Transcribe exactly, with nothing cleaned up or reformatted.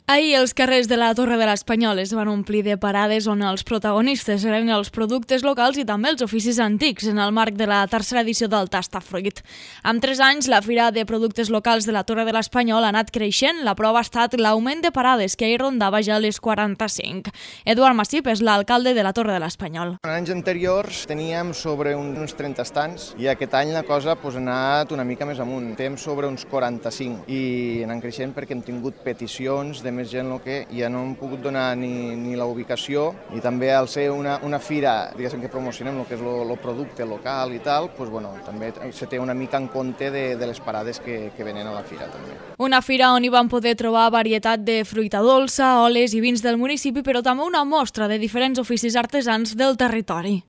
Ahir els carrers de la Torre de l'Espanyol es van omplir de parades on els protagonistes eren els productes locals i també els oficis antics en el marc de la tercera edició del Tastafruit. Amb tres anys, la Fira de Productes Locals de la Torre de l'Espanyol ha anat creixent. La prova ha estat l'augment de parades, que ahir rondava ja les quaranta-cinc. Eduard Massip és l'alcalde de la Torre de l'Espanyol. En anys anteriors teníem sobre uns trenta estants i aquest any la cosa pues, ha anat una mica més amunt. Estem sobre uns quaranta-cinc i anem creixent perquè hem tingut peticions de més gent que ja no hem pogut donar ni, ni la ubicació, i també al ser una, una fira diguéssim que promocionem el que és el producte local i tal, pues, bueno, també se té una mica en compte de, de les parades que, que venen a la fira. També. Una fira on hi van poder trobar varietat de fruita dolça, oles i vins del municipi, però també una mostra de diferents oficis artesans del territori.